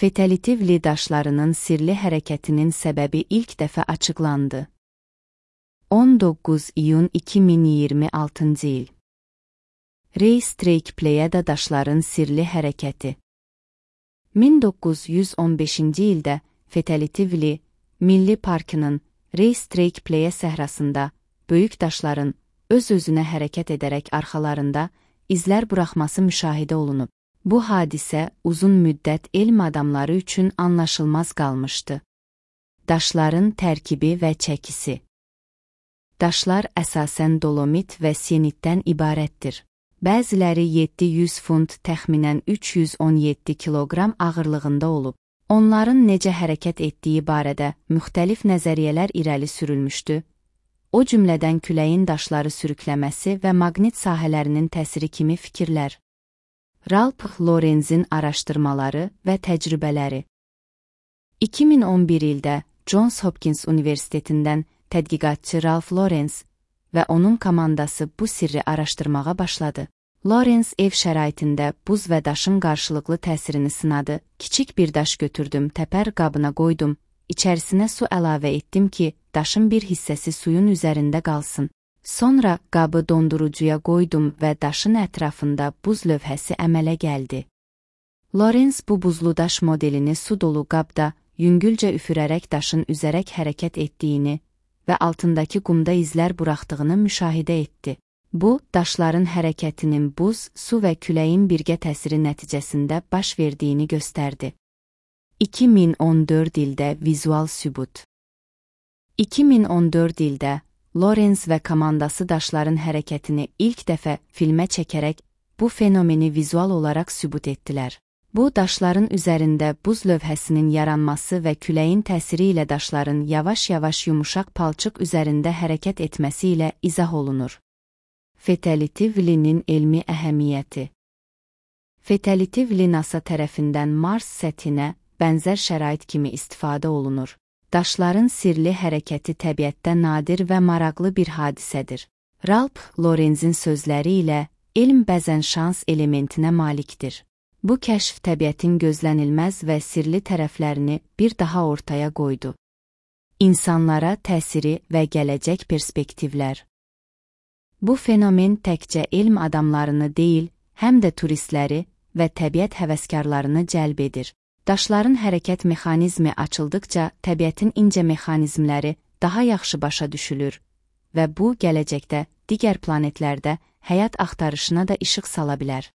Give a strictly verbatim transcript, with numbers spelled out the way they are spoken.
Fetalitivli daşlarının sirli hərəkətinin səbəbi ilk dəfə açıqlandı. on doqquz iyun iki min iyirmi altıncı il. Race-Track Pleyada daşların sirli hərəkəti. min doqquz yüz on beşinci ildə Fetalitivli Milli Parkının Race-Track Pleya səhrasında böyük daşların öz-özünə hərəkət edərək arxalarında izlər buraxması müşahidə olunub. Bu hadisə uzun müddət elm adamları üçün anlaşılmaz qalmışdı. Daşların tərkibi və çəkisi. Daşlar əsasən dolomit və sienitdən ibarətdir. Bəziləri yeddi yüz funt təxminən üç yüz on yeddi kiloqram ağırlığında olub. Onların necə hərəkət etdiyi barədə müxtəlif nəzəriyyələr irəli sürülmüşdü. O cümlədən küləyin daşları sürükləməsi və maqnit sahələrinin təsiri kimi fikirlər. Ralph Laurens'in araşdırmaları və təcrübələri. iki min on bir ildə Johns Hopkins Universitetindən tədqiqatçı Ralph Laurens və onun komandası bu sirri araşdırmağa başladı. Laurens ev şəraitində buz və daşın qarşılıqlı təsirini sınadı. Kiçik bir daş götürdüm, təpər qabına qoydum, içərisinə su əlavə etdim ki, daşın bir hissəsi suyun üzərində qalsın. Sonra qabı dondurucuya qoydum və daşın ətrafında buz lövhəsi əmələ gəldi. Laurens bu buzlu daş modelini su dolu qabda yüngülcə üfürərək daşın üzərək hərəkət etdiyini və altındakı qumda izlər buraxdığını müşahidə etdi. Bu, daşların hərəkətinin buz, su və küləyin birgə təsiri nəticəsində baş verdiyini göstərdi. iki min on dörd ildə vizual sübut. iki min on dörd ildə Laurens və komandası daşların hərəkətini ilk dəfə filmə çəkərək bu fenomeni vizual olaraq sübut etdilər. Bu, daşların üzərində buz lövhəsinin yaranması və küləyin təsiri ilə daşların yavaş-yavaş yumuşaq palçıq üzərində hərəkət etməsi ilə izah olunur. Fetalitivlinin elmi əhəmiyyəti. Fetalitivli NASA tərəfindən Mars səthinə bənzər şərait kimi istifadə olunur. Daşların sirli hərəkəti təbiətdə nadir və maraqlı bir hadisədir. Ralph Laurens'in sözləri ilə, elm bəzən şans elementinə malikdir. Bu kəşf təbiətin gözlənilməz və sirli tərəflərini bir daha ortaya qoydu. İnsanlara təsiri və gələcək perspektivlər. Bu fenomen təkcə elm adamlarını deyil, həm də turistləri və təbiət həvəskarlarını cəlb edir. Daşların hərəkət mexanizmi açıldıqca təbiətin incə mexanizmləri daha yaxşı başa düşülür və bu gələcəkdə digər planetlərdə həyat axtarışına da işıq sala bilər.